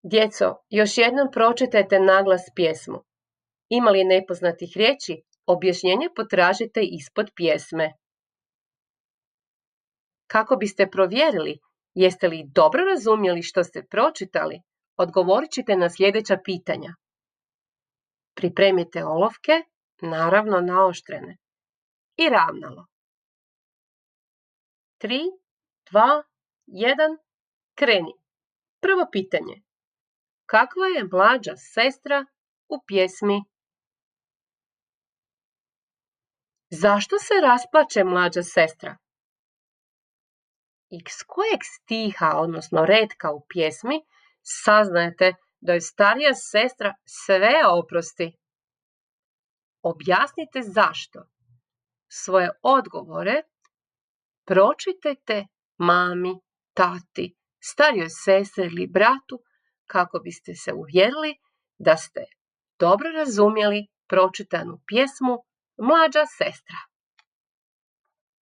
Djeco, još jednom pročitajte naglas pjesmu. Ima li nepoznatih riječi, objašnjenje potražite ispod pjesme. Kako biste provjerili jeste li dobro razumjeli što ste pročitali, odgovorit ćete na sljedeća pitanja. Pripremite olovke, naravno naoštrene, i ravnalo. 3, 2, 1, kreni. Prvo pitanje. Kakva je mlađa sestra u pjesmi? Zašto se rasplače mlađa sestra? Iz kojeg stiha, odnosno retka u pjesmi, saznajete da je starija sestra sve oprosti? Objasnite zašto. Svoje odgovore pročitajte mami, tati, starijoj sestri ili bratu kako biste se uvjerili da ste dobro razumjeli pročitanu pjesmu Mlađa sestra.